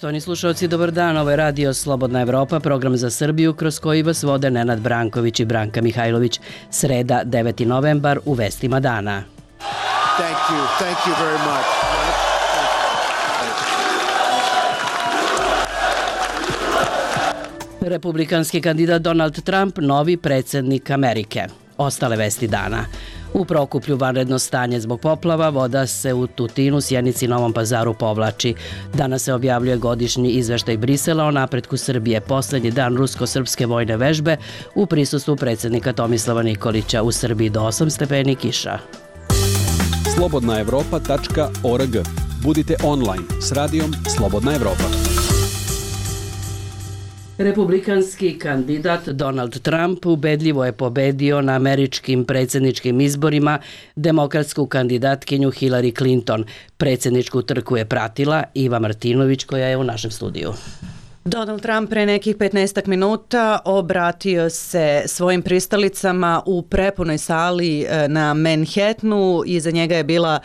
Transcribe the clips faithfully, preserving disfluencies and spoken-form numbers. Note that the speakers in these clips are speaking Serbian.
Poštovani slušalci, dobar dan. Ovo je radio Slobodna Evropa, program za Srbiju kroz koji vas vode Nenad Branković i Branka Mihajlović. Sreda, deveti novembar, u vestima dana. Thank you. Thank you very much. Republikanski kandidat Donald Trump, novi predsjednik Amerike. Ostale vesti dana. U Prokuplju vanredno stanje zbog poplava, voda se u Tutinu, Sjenici i Novom Pazaru povlači. Danas se objavljuje godišnji izveštaj Brisela o napretku Srbije, poslednji dan rusko-srpske vojne vežbe u prisustvu predsjednika Tomislava Nikolića. U Srbiji do osam stepeni kiša. slobodna evropa tačka org. Budite online s radijom Slobodna Evropa. Republikanski kandidat Donald Trump ubedljivo je pobedio na američkim predsjedničkim izborima demokratsku kandidatkinju Hillary Clinton. Predsjedničku trku je pratila Iva Martinović, koja je u našem studiju. Donald Trump pre nekih petnaestak minuta obratio se svojim pristalicama u prepunoj sali na Manhattanu. Iza njega je bila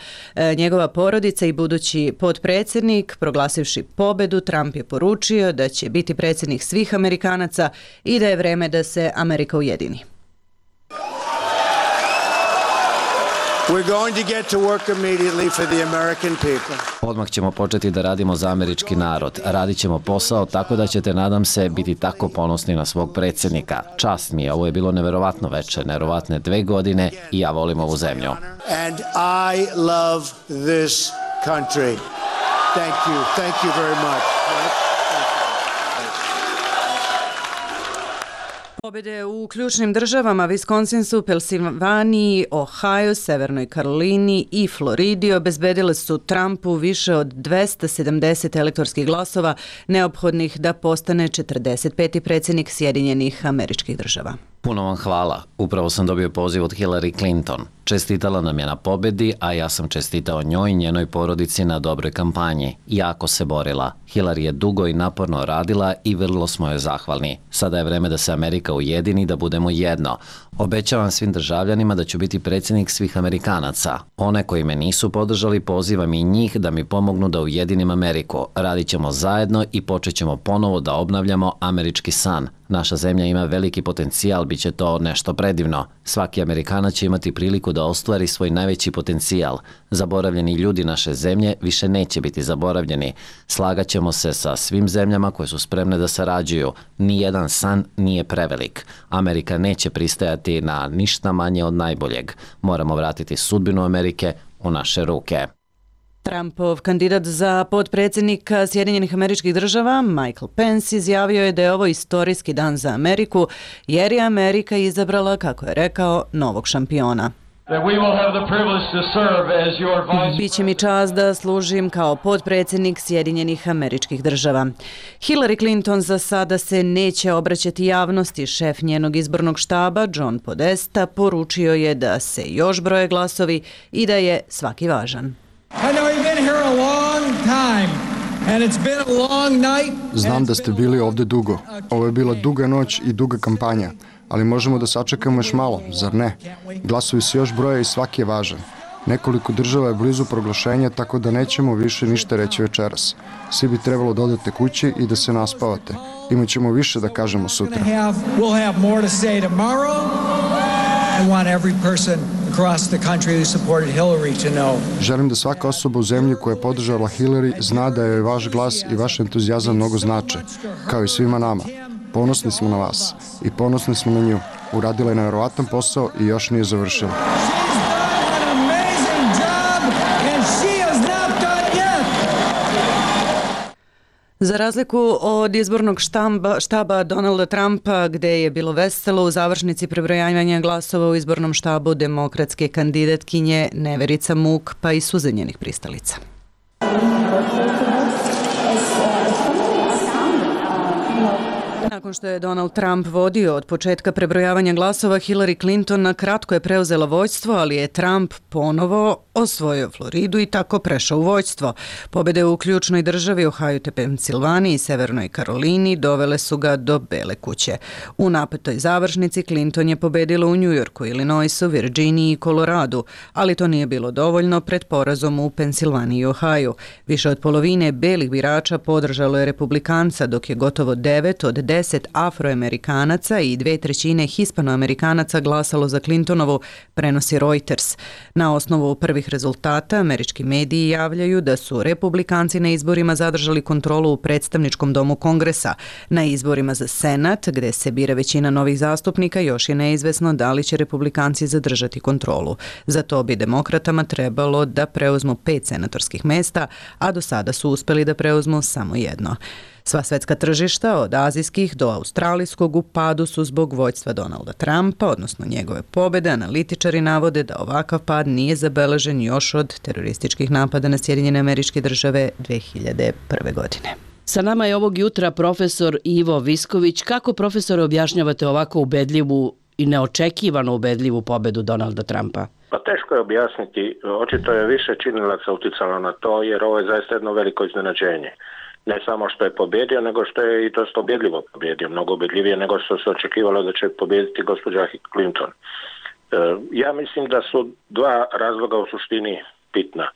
njegova porodica i budući potpredsjednik. Proglasivši pobedu, Trump je poručio da će biti predsjednik svih Amerikanaca i da je vreme da se Amerika ujedini. We're going to get to work immediately for the American people. Odmah ćemo početi da radimo za američki narod. Radit ćemo posao tako da ćete, nadam se, biti tako ponosni na svog predsjednika. Čast mi je, ovo je bilo neverovatno veče, neverovatne dve godine i ja volim ovu zemlju. And I love this country. Thank you. Thank you very much. Pobjede u ključnim državama Wisconsinsu, Pensilvaniji, Ohio, Severnoj Karolini i Floridi obezbedile su Trumpu više od dvesta sedamdeset elektorskih glasova neophodnih da postane četrdeset peti predsjednik Sjedinjenih Američkih Država. Puno vam hvala. Upravo sam dobio poziv od Hillary Clinton. Čestitala nam je na pobedi, a ja sam čestitao njoj i njenoj porodici na dobroj kampanji. Jako se borila. Hillary je dugo i naporno radila i vrlo smo joj zahvalni. Sada je vreme da se Amerika ujedini, da budemo jedno. Obećavam svim državljanima da ću biti predsjednik svih Amerikanaca. One koji me nisu podržali, pozivam i njih da mi pomognu da ujedinim Ameriku. Radit ćemo zajedno i počet ćemo ponovo da obnavljamo američki san. Naša zemlja ima veliki potencijal, bit će to nešto predivno. Svaki Amerikanac će imati priliku da ostvari svoj najveći potencijal. Zaboravljeni ljudi naše zemlje više neće biti zaboravljeni. Slagaćemo se sa svim zemljama koje su spremne da sarađuju. Nijedan san nije prevelik. Amerika neće pristajati na ništa manje od najboljeg. Moramo vratiti sudbinu Amerike u naše ruke. Trumpov kandidat za potpredsjednika Sjedinjenih Američkih Država, Michael Pence, izjavio je da je ovo istorijski dan za Ameriku, jer je Amerika izabrala, kako je rekao, novog šampiona. Biće mi čast da služim kao potpredsjednik Sjedinjenih Američkih Država. Hillary Clinton za sada se neće obraćati javnosti. Šef njenog izbornog štaba, John Podesta, poručio je da se još broje glasovi i da je svaki važan. Znam da ste bili ovdje dugo. Ovo je bila duga noć i duga kampanja, ali možemo da sačekamo još malo, zar ne? Glasovi se još broje i svaki je važan. Nekoliko država je blizu proglašenja, tako da nećemo više ništa reći večeras. Svi bi trebalo da odete kući i da se naspavate. Imaćemo više da kažemo sutra. Želim da svaka osoba u zemlji koja je podržala Hillary zna da je vaš glas i vaš entuzijazam mnogo znače, kao i svima nama. Ponosni smo na vas i ponosni smo na nju. Uradila je nevjerovatan posao i još nije završila. Za razliku od izbornog štamba, štaba Donalda Trumpa, gde je bilo veselo, u završnici prebrojavanja glasova u izbornom štabu demokratske kandidatkinje neverica, muk pa i suze njenih pristalica. Nakon što je Donald Trump vodio od početka prebrojavanja glasova, Hillary Clinton na kratko je preuzela vođstvo, ali je Trump ponovo osvojio Floridu i tako prešao u vođstvo. Pobjede u ključnoj državi Ohio te Pensilvaniji i Severnoj Karolini dovele su ga do Bele kuće. U napetoj završnici Clinton je pobedila u Njujorku, Illinoisu, Virginiji i Koloradu, ali to nije bilo dovoljno pred porazom u Pensilvaniji i Ohio. Više od polovine belih birača podržalo je republikanca, dok je gotovo devet od deset afroamerikanaca i dve trećine hispanoamerikanaca glasalo za Clintonovu, prenosi Reuters. Na osnovu prvih rezultata američki mediji javljaju da su republikanci na izborima zadržali kontrolu u predstavničkom domu Kongresa. Na izborima za Senat, gde se bira većina novih zastupnika, još je neizvesno da li će republikanci zadržati kontrolu. Za to bi demokratama trebalo da preuzmu pet senatorskih mesta, a do sada su uspeli da preuzmu samo jedno. Sva svetska tržišta, od azijskih do australijskog, u padu su zbog vođstva Donalda Trumpa, odnosno njegove pobjede. Analitičari navode da ovakav pad nije zabeležen još od terorističkih napada na Sjedinjene Američke Države dve hiljade prve. godine. Sa nama je ovog jutra profesor Ivo Visković. Kako, profesore, objašnjavate ovako ubedljivu i neočekivano ubedljivu pobedu Donalda Trumpa? Pa teško je objasniti. Očito je više činilaca uticalo na to, jer ovo je zaista jedno veliko iznenađenje. Ne samo što je pobjedio, nego što je i dosta ubjedljivo pobjedio, mnogo ubjedljivije nego što se očekivalo da će pobjediti gospođa Clinton. Ja mislim da su dva razloga u suštini bitna.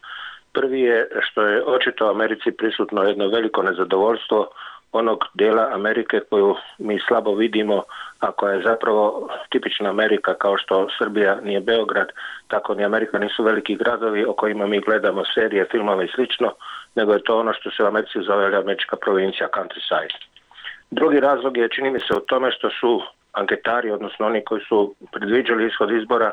Prvi je što je očito Americi prisutno jedno veliko nezadovoljstvo onog dijela Amerike koju mi slabo vidimo, a koja je zapravo tipična Amerika, kao što Srbija nije Beograd, tako ni Amerika nisu veliki gradovi o kojima mi gledamo serije, filmove i slično, nego je to ono što se u Americi zove američka provincija, countryside. Drugi razlog je, čini mi se, u tome što su anketari, odnosno oni koji su predviđali ishod izbora,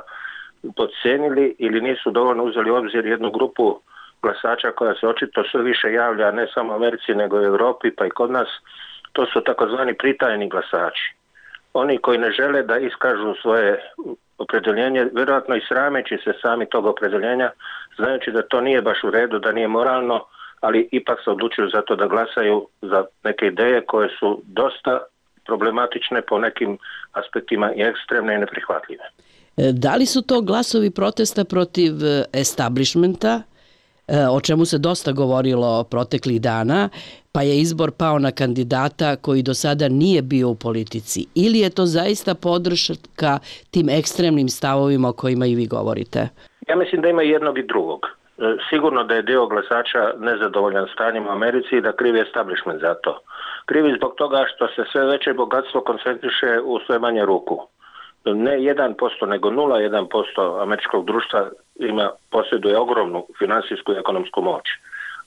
podcenili ili nisu dovoljno uzeli u obzir jednu grupu glasača koja se očito sve više javlja ne samo u Americi nego i u Europi pa i kod nas. To su takozvani pritajeni glasači. Oni koji ne žele da iskažu svoje opredjeljenje, vjerojatno i srameći se sami tog opredjeljenja, znajući da to nije baš u redu, da nije moralno, ali ipak se odlučuju za to da glasaju za neke ideje koje su dosta problematične, po nekim aspektima i ekstremne i neprihvatljive. Da li su to glasovi protesta protiv establishmenta, o čemu se dosta govorilo proteklih dana, pa je izbor pao na kandidata koji do sada nije bio u politici? Ili je to zaista podrška tim ekstremnim stavovima o kojima i vi govorite? Ja mislim da ima jednog i drugog. Sigurno da je dio glasača nezadovoljan stanjem u Americi i da krivi establishment za to. Krivi zbog toga što se sve veće bogatstvo koncentriše u sve manje ruku. Ne jedan posto, nego nula zarez jedan posto američkog društva ima, posjeduje ogromnu finansijsku i ekonomsku moć.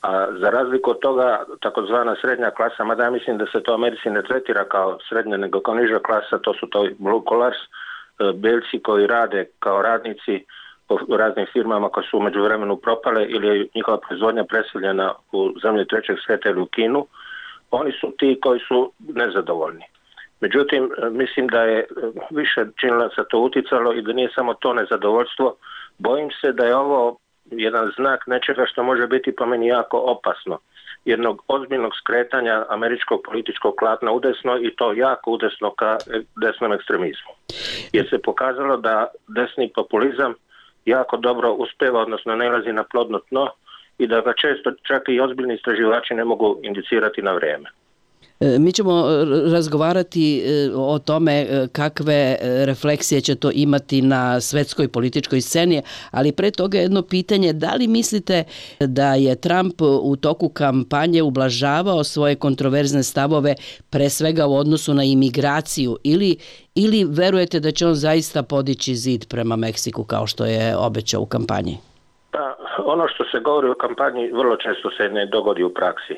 A za razliku od toga, takozvana srednja klasa, mada ja mislim da se to u Americi ne tretira kao srednja, nego kao niža klasa, to su to blue collars, belci koji rade kao radnici po raznim firmama koje su u međuvremenu propale ili je njihova proizvodnja preseljena u zemlje trećeg svijeta ili u Kinu. Oni su ti koji su nezadovoljni. Međutim, mislim da je više činilaca to uticalo i da nije samo to nezadovoljstvo. Bojim se da je ovo jedan znak nečega što može biti po meni jako opasno. Jednog ozbiljnog skretanja američkog političkog klatna udesno i to jako udesno ka desnom ekstremizmu. Jer se pokazalo da desni populizam jako dobro uspeva, odnosno nailazi na plodno tno i da ga često čak i ozbiljni istraživači ne mogu indicirati na vrijeme. Mi ćemo razgovarati o tome kakve refleksije će to imati na svetskoj političkoj sceni, ali pre toga jedno pitanje, da li mislite da je Trump u toku kampanje ublažavao svoje kontroverzne stavove pre svega u odnosu na imigraciju ili, ili verujete da će on zaista podići zid prema Meksiku kao što je obećao u kampanji? Pa, ono što se govori u kampanji vrlo često se ne dogodi u praksi.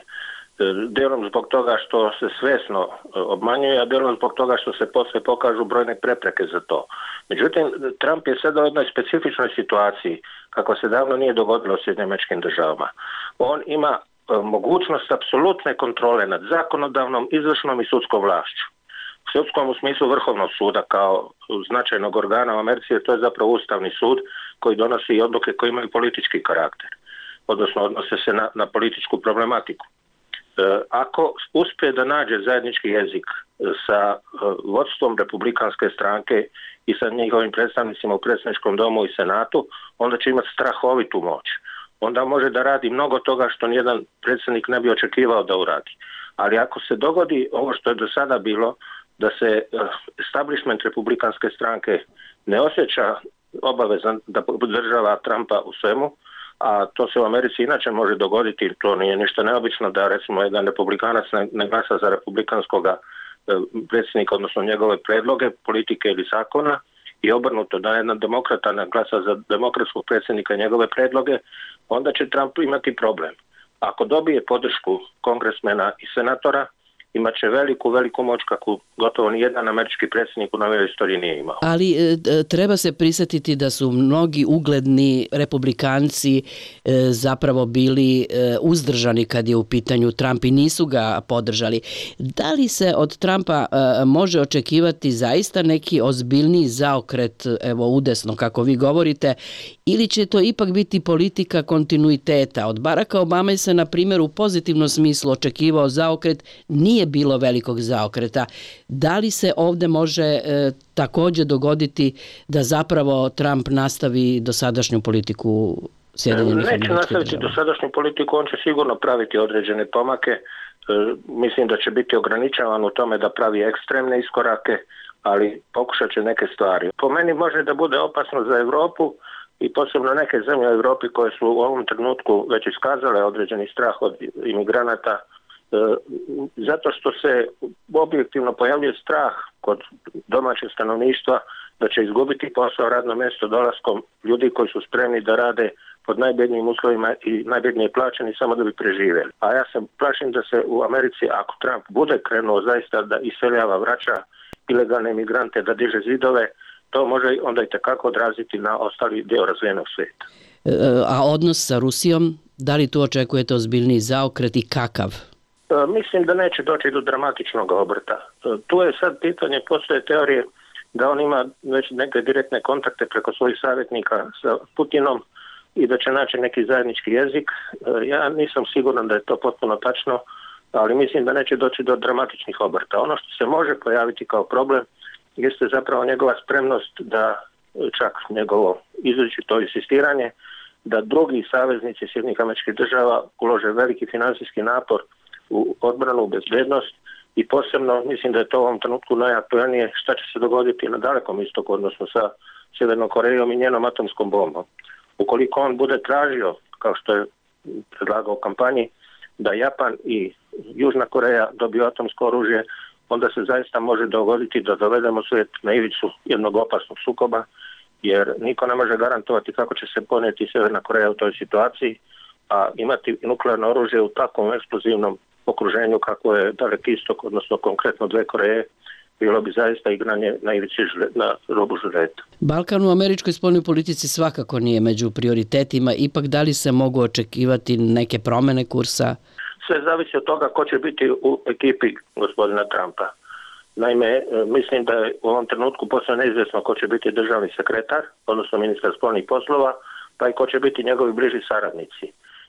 Delom zbog toga što se svjesno obmanjuje, a delom zbog toga što se posle pokažu brojne prepreke za to. Međutim, Trump je sada u jednoj specifičnoj situaciji, kako se davno nije dogodilo u Sjedinjenim Američkim Državama. On ima mogućnost apsolutne kontrole nad zakonodavnom, izvršnom i sudskom vlašću. U sudskom u smislu Vrhovnog suda kao značajnog organa u Americi, jer to je zapravo Ustavni sud koji donosi i odluke koje imaju politički karakter, odnosno odnose se na, na političku problematiku. Ako uspije da nađe zajednički jezik sa vodstvom republikanske stranke i sa njihovim predstavnicima u predsjedničkom domu i senatu, onda će imati strahovitu moć. Onda može da radi mnogo toga što nijedan predsjednik ne bi očekivao da uradi. Ali ako se dogodi ovo što je do sada bilo, da se establishment republikanske stranke ne osjeća obavezan da podržava Trumpa u svemu, a to se u Americi inače može dogoditi, to nije ništa neobično da recimo jedan republikanac ne glasa za republikanskoga predsjednika, odnosno njegove predloge, politike ili zakona, i obrnuto da jedan demokrata ne glasa za demokratskog predsjednika i njegove predloge, onda će Trump imati problem. Ako dobije podršku kongresmena i senatora, imat će veliku, veliku moć kako gotovo nijedan američki predsjednik u novoj istoriji nije imao. Ali e, treba se prisjetiti da su mnogi ugledni republikanci e, zapravo bili e, uzdržani kad je u pitanju Trump i nisu ga podržali. Da li se od Trumpa e, može očekivati zaista neki ozbiljniji zaokret, evo udesno kako vi govorite, ili će to ipak biti politika kontinuiteta? Od Baracka Obame se, na primjer, u pozitivnom smislu očekivao zaokret, nije bilo velikog zaokreta. Da li se ovdje može e, također dogoditi da zapravo Trump nastavi dosadašnju politiku Sjedinjenih Američkih Država? Neće nastaviti dosadašnju politiku, on će sigurno praviti određene pomake. E, mislim da će biti ograničavan u tome da pravi ekstremne iskorake, ali pokušat će neke stvari. Po meni može da bude opasno za Europu i posebno neke zemlje u Europi koje su u ovom trenutku već iskazale određeni strah od imigranata, zato što se objektivno pojavljuje strah kod domaćeg stanovništva da će izgubiti posao, radno mjesto dolaskom ljudi koji su spremni da rade pod najbednijim uslovima i najbednije plaćeni samo da bi preživjeli. A ja se plašim da se u Americi, ako Trump bude krenuo zaista da iseljava, vraća ilegalne imigrante, da diže zidove, to može onda i tekako odraziti na ostali dio razvijenog svijeta. A odnos sa Rusijom, da li tu očekujete ozbiljniji zaokret i kakav? Mislim da neće doći do dramatičnog obrta. Tu je sad pitanje, postoje teorije da on ima već neke direktne kontakte preko svojih savjetnika sa Putinom i da će naći neki zajednički jezik. Ja nisam siguran da je to potpuno tačno, ali mislim da neće doći do dramatičnih obrta. Ono što se može pojaviti kao problem jeste zapravo njegova spremnost da, čak njegovo izričito insistiranje, da drugi saveznici Sjedinjenih Američkih Država ulože veliki financijski napor u odbranu, u bezbednost i posebno mislim da je to u ovom trenutku najaktualnije šta će se dogoditi na Dalekom istoku, odnosno sa Sjevernom Korejom i njenom atomskom bombom. Ukoliko on bude tražio, kao što je predlagao u kampanji, da Japan i Južna Koreja dobiju atomsko oružje, onda se zaista može dogoditi da dovedemo svijet na ivicu jednog opasnog sukoba, jer niko ne može garantovati kako će se ponijeti Sjeverna Koreja u toj situaciji, a imati nuklearno oružje u takvom eksplozivnom okruženju kako je Daleki istok, odnosno konkretno dve Koreje, bilo bi zaista igranje na ivici na robu žureta. Balkan u američkoj spoljnoj politici svakako nije među prioritetima, ipak da li se mogu očekivati neke promjene kursa? Sve zavisi od toga ko će biti u ekipi gospodina Trumpa. Naime, mislim da je u ovom trenutku posve neizvjesno ko će biti državni sekretar, odnosno ministar spoljnih poslova, pa i ko će biti njegovi bliži saradnici.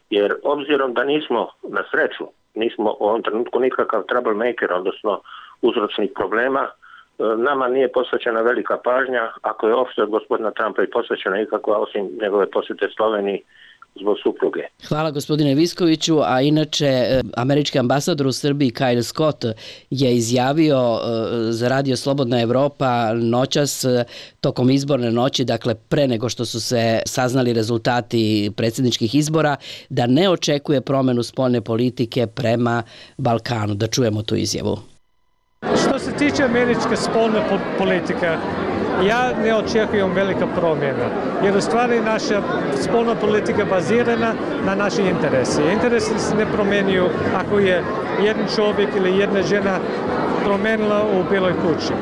Jer obzirom da nismo, na sreću, nismo u ovom trenutku nikakav troublemaker, odnosno uzročnih problema, nama nije posvećena velika pažnja, ako je uopšte od gospodina Trumpa i posvećena ikakva, osim njegove posjete Sloveniji zbog supruge. Hvala gospodine Viskoviću, a inače američki ambasador u Srbiji Kyle Scott je izjavio za radio Slobodna Evropa noćas tokom izborne noći, dakle pre nego što su se saznali rezultati predsjedničkih izbora, da ne očekuje promjenu spoljne politike prema Balkanu. Da čujemo tu izjavu. Što se tiče američke spoljne politike, ja ne očekujem velika promjena, jer u stvari naša spoljna politika bazirana na naši interesi. Interesi se ne promjenjuju ako je jedan čovjek ili jedna žena promijenila u Bijeloj kući.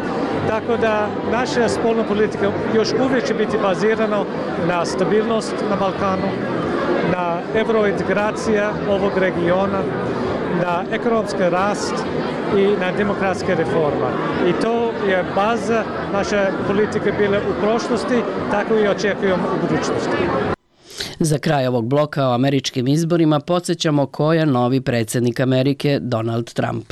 Tako da naša spoljna politika još uvijek će biti bazirana na stabilnost na Balkanu, na eurointegracija ovog regiona, na ekonomski rast i na demokratske reforma. I to je baza naše politike bile u prošlosti, tako i očekujem u budućnosti. Za kraj ovog bloka o američkim izborima podsjećamo ko je novi predsjednik Amerike, Donald Trump.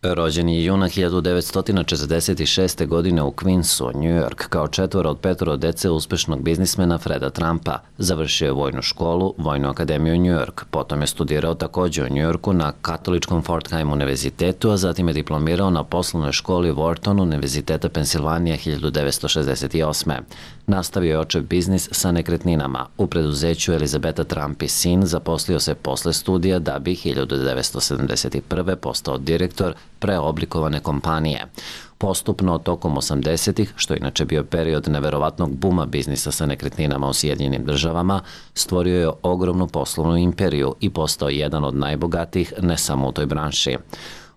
Rođen je juna hiljadu devetsto četrdeset šeste. godine u Queensu, New York, kao četvoro od petoro dece uspešnog biznismena Freda Trumpa. Završio je vojnu školu, Vojnu akademiju New York, potom je studirao takođe u New Yorku na katoličkom Fordham univerzitetu, a zatim je diplomirao na poslovnoj školi Wharton Univerziteta Pensilvanija hiljadu devetsto šezdeset osme. Nastavio je očev biznis sa nekretninama. U preduzeću Elizabeta Trump i sin zaposlio se posle studija da bi hiljadu devetsto sedamdeset prve. postao direktor preoblikovane kompanije. Postupno tokom osamdesetih, što je inače bio period neverovatnog buma biznisa sa nekretninama u Sjedinjenim državama, stvorio je ogromnu poslovnu imperiju i postao jedan od najbogatijih ne samo u toj branši.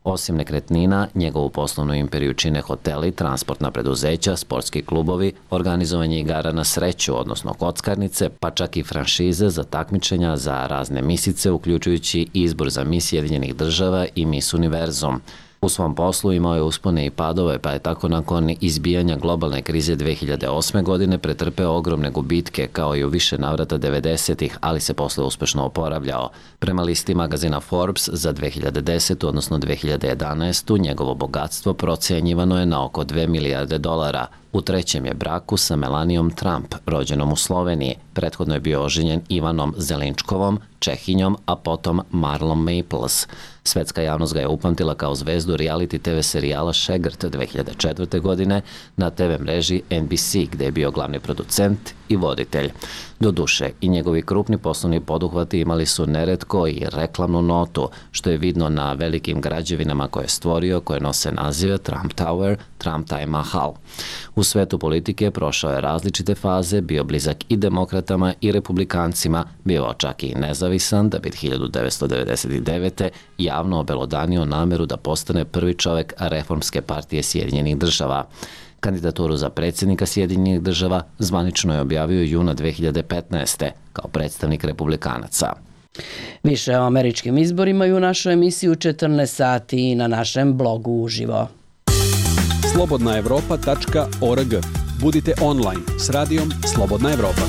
Osim nekretnina, njegovu poslovnu imperiju čine hoteli, transportna preduzeća, sportski klubovi, organizovanje igara na sreću, odnosno kockarnice, pa čak i franšize za takmičenja za razne misice, uključujući izbor za mis Sjedinjenih država i Miss Univerzum. U svom poslu imao je uspone i padove, pa je tako nakon izbijanja globalne krize dve hiljade osme. godine pretrpeo ogromne gubitke, kao i u više navrata devedesetih, ali se posle uspešno oporavljao. Prema listi magazina Forbes za dve hiljade desetu. odnosno dve hiljade jedanaestu. njegovo bogatstvo procenjivano je na oko dve milijarde dolara. U trećem je braku sa Melanijom Trump, rođenom u Sloveniji. Prethodno je bio oženjen Ivanom Zelinčkovom, Čehinjom, a potom Marlon Maples. Svetska javnost ga je upamtila kao zvezdu reality te ve serijala Šegrt dve hiljade četvrte. godine na te ve mreži en bi si, gde je bio glavni producent i voditelj. Doduše, i njegovi krupni poslovni poduhvati imali su neretko i reklamnu notu, što je vidno na velikim građevinama koje je stvorio, koje nose nazive Trump Tower, Trump Taj Mahal. U svetu politike prošao je različite faze, bio blizak i demokratama i republikancima, bio čak i nezavisan, da bi hiljadu devetsto devedeset devete. javno obelodanio nameru da postane prvi čovek reformske partije Sjedinjenih država. Kandidaturu za predsjednika Sjedinjenih država zvanično je objavio juna dve hiljade petnaeste. kao predstavnik republikanaca. Više o američkim izborima i u našoj emisiji u četrnaest sati i na našem blogu uživo. slobodna evropa tačka org. Budite online s radijom Slobodna Evropa.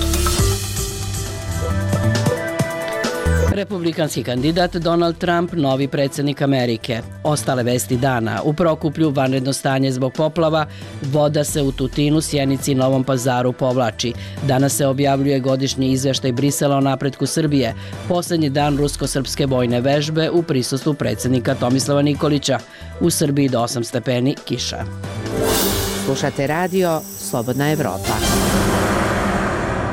Republikanski kandidat Donald Trump, novi predsjednik Amerike. Ostale vesti dana. U Prokuplju vanredno stanje zbog poplava, voda se u Tutinu, Sjenici i Novom Pazaru povlači. Danas se objavljuje godišnji izveštaj Brisela o napretku Srbije. Poslednji dan rusko-srpske vojne vežbe u prisustvu predsjednika Tomislava Nikolića. U Srbiji do osam stepeni kiša. Slušate radio Slobodna Evropa.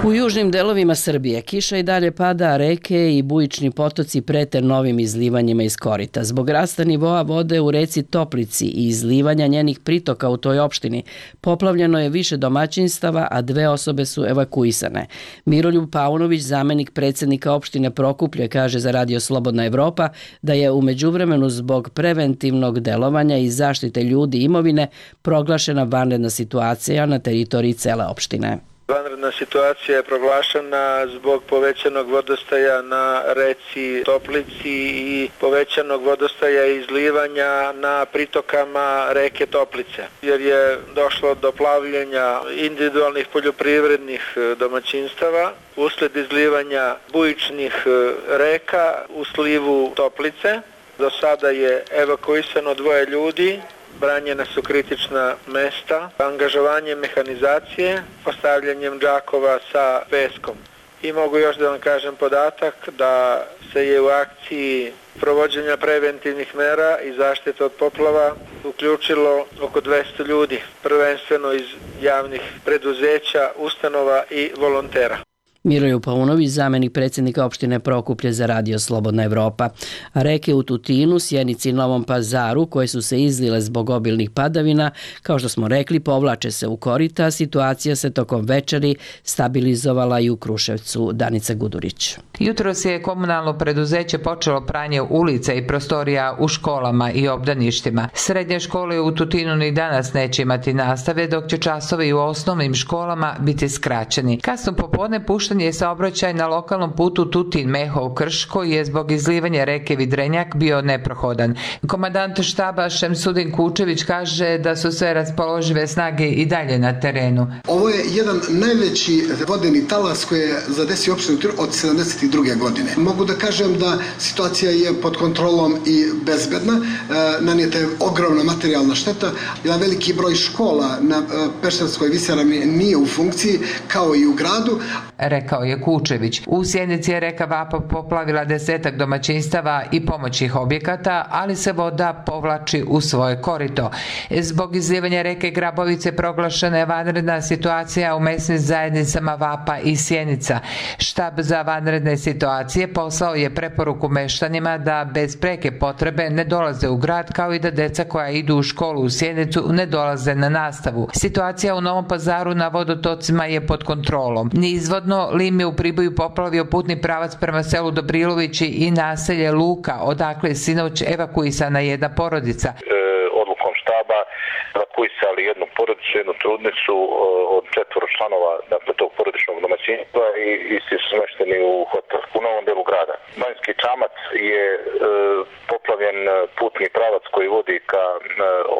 U južnim delovima Srbije kiša i dalje pada, a reke i bujični potoci prete novim izlivanjima iz korita. Zbog rasta nivoa vode u reci Toplici i izlivanja njenih pritoka u toj opštini, poplavljeno je više domaćinstava, a dve osobe su evakuisane. Miroljub Paunović, zamenik predsjednika opštine Prokuplje, kaže za radio Slobodna Evropa da je u međuvremenu zbog preventivnog delovanja i zaštite ljudi i imovine proglašena vanredna situacija na teritoriji cele opštine. Vanredna situacija je proglašena zbog povećanog vodostaja na reci Toplici i povećanog vodostaja i izlivanja na pritokama reke Toplice, jer je došlo do plavljenja individualnih poljoprivrednih domaćinstava usled izlivanja bujičnih reka u slivu Toplice. Do sada je evakuisano dvoje ljudi. Branjena su kritična mesta, angažovanjem mehanizacije, postavljanjem džakova sa peskom. I mogu još da vam kažem podatak da se je u akciji provođenja preventivnih mera i zaštite od poplava uključilo oko dvesta ljudi, prvenstveno iz javnih preduzeća, ustanova i volontera. Miroljub Paunović, zamenik predsjednika opštine Prokuplje za radio Slobodna Evropa. Reke u Tutinu, Sjenici i Novom Pazaru, koje su se izlile zbog obilnih padavina, kao što smo rekli, povlače se u korita. Situacija se tokom večeri stabilizovala i u Kruševcu. Danica Gudurić. Jutros je komunalno preduzeće počelo pranje ulica i prostorija u školama i obdaništima. Srednje škole u Tutinu ni danas neće imati nastave, dok će časovi u osnovnim školama biti skraćeni. Kasno popodne pušten je saobraćaj na lokalnom putu Tutin-Mehov-Krš, koji je zbog izlivanja reke Vidrenjak bio neprohodan. Komandant štaba Šemsudin Kučević kaže da su sve raspoložive snage i dalje na terenu. Ovo je jedan najveći vodeni talas koji je zadesio opštinu Tutin od sedamdesetih druge godine. Mogu da kažem da situacija je pod kontrolom i bezbedna, nanijeta je ogromna materijalna šteta, jedan veliki broj škola na Pešterskoj visoravni nije u funkciji, kao i u gradu. Rekao je Kučević. U Sjenici je reka Vapa poplavila desetak domaćinstava i pomoćnih objekata, ali se voda povlači u svoje korito. Zbog izljevanja reke Grabovice proglašena je vanredna situacija u mesnim zajednicama Vapa i Sjenica. Štab za vanredne situacije poslao je preporuku meštanima da bez preke potrebe ne dolaze u grad, kao i da deca koja idu u školu u Sjenicu ne dolaze na nastavu. Situacija u Novom Pazaru na vodotocima je pod kontrolom. Neizvodno lim je u Priboju poplavio putni pravac prema selu Dobrilovići i naselje Luka, odakle je sinoć evakuisana jedna porodica. Odlukom štaba evakuisali jednu porodicu, jednu trudnicu od četvoro članova, dakle, tog porodičnog domaćinstva i isti su smešteni u hotel u novom delu grada. Banjski Čamac je e, poplavljen putni pravac koji vodi ka e,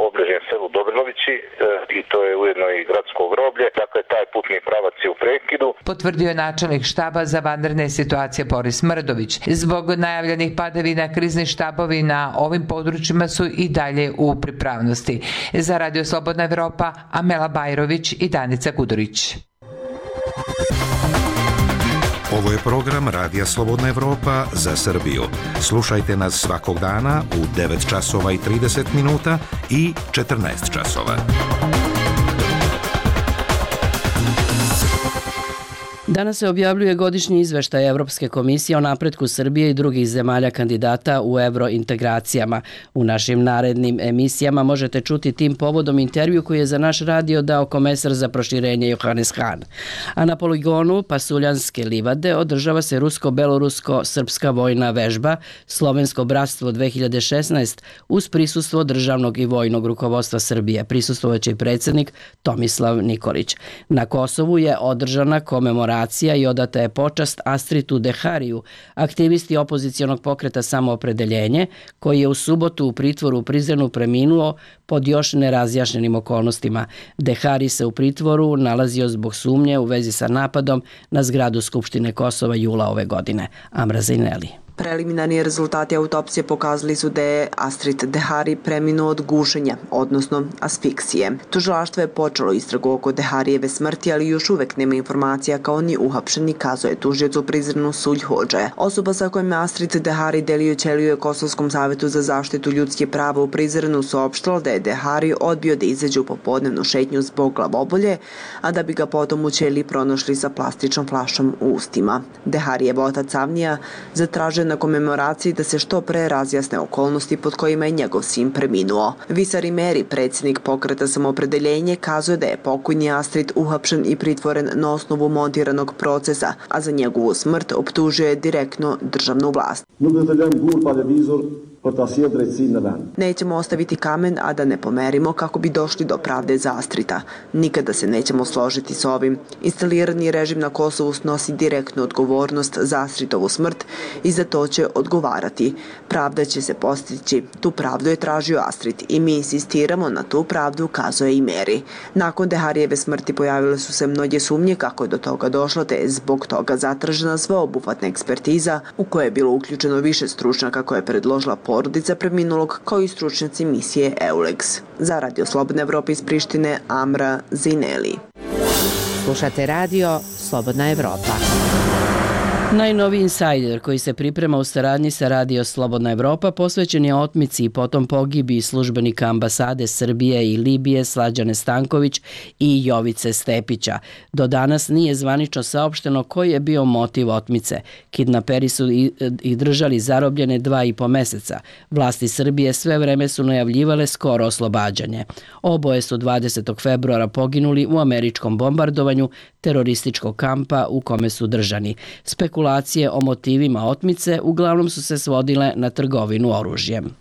obližnjem selu Dobrilovići e, i to je ujedno i gradsko groblje. Dakle, taj putni pravac je u prekidu. Potvrdio je načelnik štaba za vanredne situacije Boris Mrdović. Zbog najavljenih padavina krizni štabovi na ovim područjima su i dalje u pripravnosti. Za Radio Slobodna Evropa, Amela Bajrović i Danica Gudurić. Ovo je program Radija Slobodna Evropa za Srbiju. Slušajte nas svakog dana u devet časova i trideset minuta i četrnaest časova. Danas se objavljuje godišnji izveštaj Evropske komisije o napretku Srbije i drugih zemalja kandidata u evrointegracijama. U našim narednim emisijama možete čuti tim povodom intervju koji je za naš radio dao komesar za proširenje Johannes Hahn. A na poligonu Pasuljanske livade održava se rusko-belorusko-srpska vojna vežba Slovensko bratstvo dve hiljade šesnaest uz prisustvo državnog i vojnog rukovodstva Srbije. Prisustvovaće i predsjednik Tomislav Nikolić. Na Kosovu je održana komemoracija i odata je počast Astritu Dehariju, aktivisti opozicijonog pokreta Samoopredeljenje, koji je u subotu u pritvoru u Prizrenu preminuo pod još nerazjašnjenim okolnostima. Dehari se u pritvoru nalazio zbog sumnje u vezi sa napadom na zgradu Skupštine Kosova jula ove godine. Amra Zajneli. Preliminarni rezultati autopsije pokazali su da je Astrid Dehari preminuo od gušenja, odnosno asfiksije. Tužilaštvo je počelo istragu oko Deharijeve smrti, ali još uvek nema informacija kao ni uhapšeni, kazuje tužioc u Prizrenu Sulj Hodže. Osoba sa kojom je Astrid Dehari delio ćeliju je Kosovskom savetu za zaštitu ljudskih prava u Prizrenu saopštilo da je Dehari odbio da izađe u popodnevnu šetnju zbog glavobolje, a da bi ga potom u ćeliji pronašli sa plastičnom flašom u ustima. Deharijev otac Avnija zatražio na komemoraciji da se što pre razjasne okolnosti pod kojima je njegov sin preminuo. Visari Meri, predsjednik pokreta Samoopredeljenje, kazuje da je pokojni Astrid uhapšen i pritvoren na osnovu montiranog procesa, a za njegovu smrt optužio je direktno državnu vlast. Nećemo ostaviti kamen, a da ne pomerimo kako bi došli do pravde za Astrita. Nikada se nećemo složiti s ovim. Instalirani režim na Kosovu snosi direktnu odgovornost za Astritovu smrt i za to će odgovarati. Pravda će se postići. Tu pravdu je tražio Astrid i mi insistiramo na tu pravdu, kazuje i Meri. Nakon Deharijeve smrti pojavile su se mnoge sumnje kako je do toga došlo, te je zbog toga zatražena sveobuhvatna ekspertiza u kojoj je bilo uključeno više stručnjaka koje je predložila porodica preminulog, kao i stručnjaci misije EULEX. Za Radio Slobodna Evropa iz Prištine, Amra Zineli. Slušate radio Slobodna Evropa. Najnoviji insajder koji se priprema u saradnji sa Radio Slobodna Evropa posvećen je otmici i potom pogibi službenika ambasade Srbije i Libije Slađane Stanković i Jovice Stepića. Do danas nije zvanično saopšteno koji je bio motiv otmice. Kidnaperi su i, i držali zarobljene dva i po meseca. Vlasti Srbije sve vreme su najavljivale skoro oslobađanje. Oboje su dvadesetog februara poginuli u američkom bombardovanju terorističkog kampa u kome su držani. Spekulacije o motivima otmice uglavnom su se svodile na trgovinu oružjem.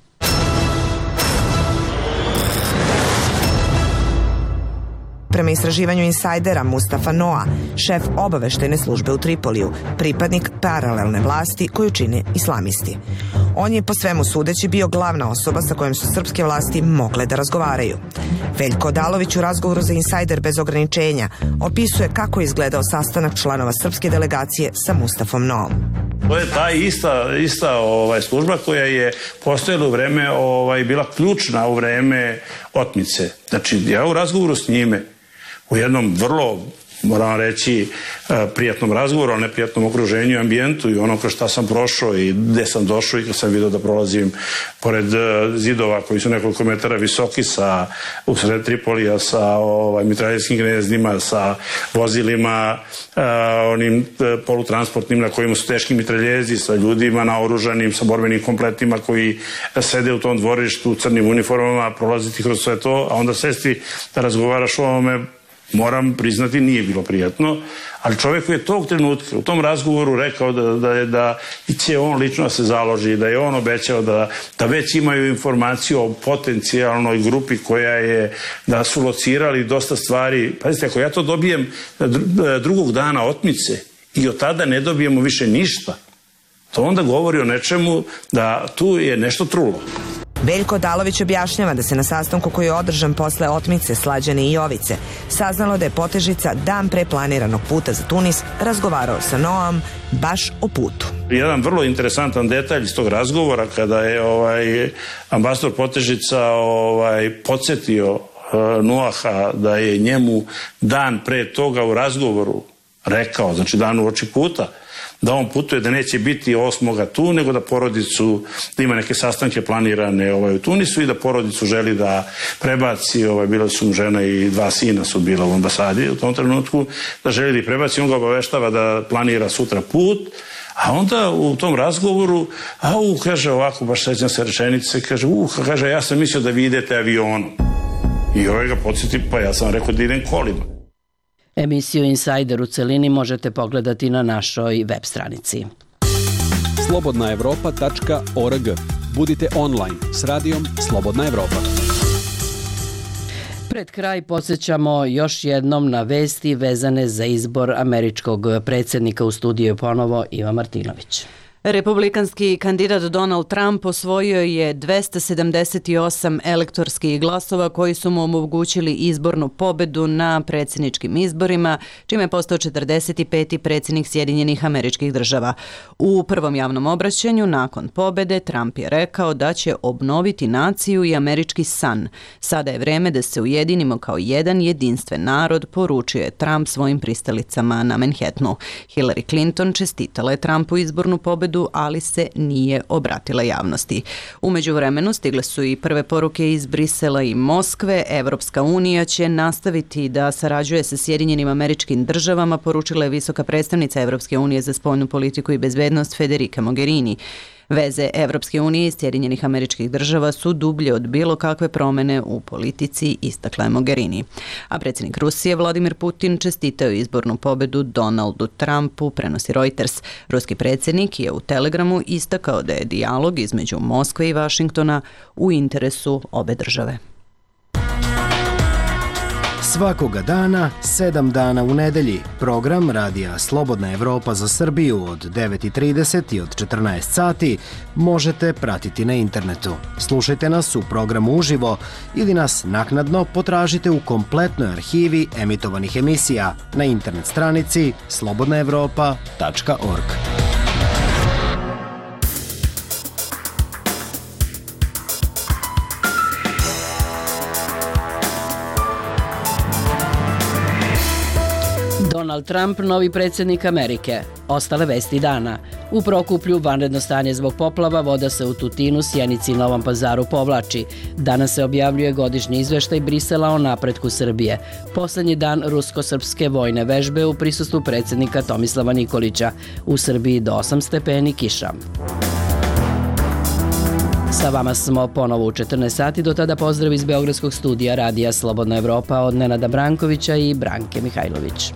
Prema istraživanju insajdera Mustafa Noa, šef obaveštene službe u Tripoliju, pripadnik paralelne vlasti koju čine islamisti. On je po svemu sudeći bio glavna osoba sa kojom su srpske vlasti mogle da razgovaraju. Veljko Odalović u razgovoru za Insajder bez ograničenja opisuje kako je izgledao sastanak članova srpske delegacije sa Mustafom Noom. To je ta ista, ista ovaj, služba koja je postojala u vreme, ovaj, bila ključna u vreme otmice. Znači, ja u razgovoru s njime, u jednom vrlo, moram reći, prijatnom razgovoru, ali neprijatnom okruženju i ambijentu i ono kroz šta sam prošao i gde sam došao i kad sam vidio da prolazim pored zidova koji su nekoliko metara visoki sa, u sred Tripolija sa ovaj, mitraljerskim gnezdima, sa vozilima a, onim polutransportnim na kojima su teški mitraljezi, sa ljudima naoružanim, sa borbenim kompletima koji sede u tom dvorištu u crnim uniformama, prolaziti kroz sve to, a onda sesti da razgovaraš o ovome, moram priznati, nije bilo prijatno, ali čovjek koji je tog trenutka u tom razgovoru rekao da, da, da, da će on lično da se založi, da je on obećao da, da već imaju informaciju o potencijalnoj grupi koja je, da su locirali dosta stvari. Pazite, ako ja to dobijem drugog dana otmice i od tada ne dobijemo više ništa, to onda govori o nečemu da tu je nešto trulo. Veljko Odalović objašnjava da se na sastanku koji je održan posle otmice Slađane i Jovice saznalo da je Potežica dan pre planiranog puta za Tunis razgovarao sa Noam baš o putu. Jedan vrlo interesantan detalj iz tog razgovora kada je ovaj, ambasador Potežica ovaj, podsjetio uh, Noaha da je njemu dan pre toga u razgovoru rekao, znači dan uoči puta, da on putuje, da neće biti osmoga tu, nego da porodicu, da ima neke sastanke planirane ovaj, u Tunisu i da porodicu želi da prebaci, ovaj, bila su mu žena i dva sina su bila u ambasadi u tom trenutku, da želi da ih prebaci, on ga obaveštava da planira sutra put, a onda u tom razgovoru, a u, kaže ovako, baš sećam se rečenice, kaže, u, kaže, ja sam mislio da vi idete avionom. I ovaj ga podsjeti, pa ja sam rekao da idem kolima. Emisiju Insider u celini možete pogledati na našoj web stranici. slobodna evropa tačka org. Budite online s radijom Slobodna Evropa. Pred kraj podsjećamo još jednom na vesti vezane za izbor američkog predsjednika. U studiju ponovo Iva Martinović. Republikanski kandidat Donald Trump osvojio je dvesta sedamdeset osam elektorskih glasova koji su mu omogućili izbornu pobedu na predsjedničkim izborima, čime je postao četrdeset peti predsjednik Sjedinjenih Američkih Država. U prvom javnom obraćanju nakon pobede Trump je rekao da će obnoviti naciju i američki san. Sada je vreme da se ujedinimo kao jedan jedinstven narod, poručio je Trump svojim pristalicama na Manhattanu. Hillary Clinton čestitala je Trumpu izbornu pobedu, ali se nije obratila javnosti. U međuvremenu stigle su i prve poruke iz Brisela i Moskve. Evropska unija će nastaviti da sarađuje sa Sjedinjenim Američkim Državama, poručila je visoka predstavnica Evropske unije za spoljnu politiku i bezbednost Federica Mogherini. Veze Evropske unije i Sjedinjenih Američkih Država su dublje od bilo kakve promene u politici, istakla je Mogherini. A predsjednik Rusije Vladimir Putin čestitao izbornu pobedu Donaldu Trumpu, prenosi Reuters. Ruski predsjednik je u Telegramu istakao da je dijalog između Moskve i Vašingtona u interesu obe države. Svakoga dana, sedam dana u nedelji, program Radija Slobodna Evropa za Srbiju od devet i trideset i od četrnaest sati možete pratiti na internetu. Slušajte nas u programu uživo ili nas naknadno potražite u kompletnoj arhivi emitovanih emisija na internet stranici slobodna evropa tačka org. Donald Trump, novi predsjednik Amerike. Ostale vesti dana. U Prokuplju vanredno stanje zbog poplava, voda se u Tutinu, Sjenici i Novom Pazaru povlači. Danas se objavljuje godišnji izveštaj Brisela o napretku Srbije. Poslednji dan rusko-srpske vojne vežbe u prisustvu predsjednika Tomislava Nikolića. U Srbiji do osam stepeni kiša. Sa vama smo ponovo u četrnaest sati, do tada pozdrav iz Beogradskog studija Radija Slobodna Evropa od Nenada Brankovića i Branke Mihajlović.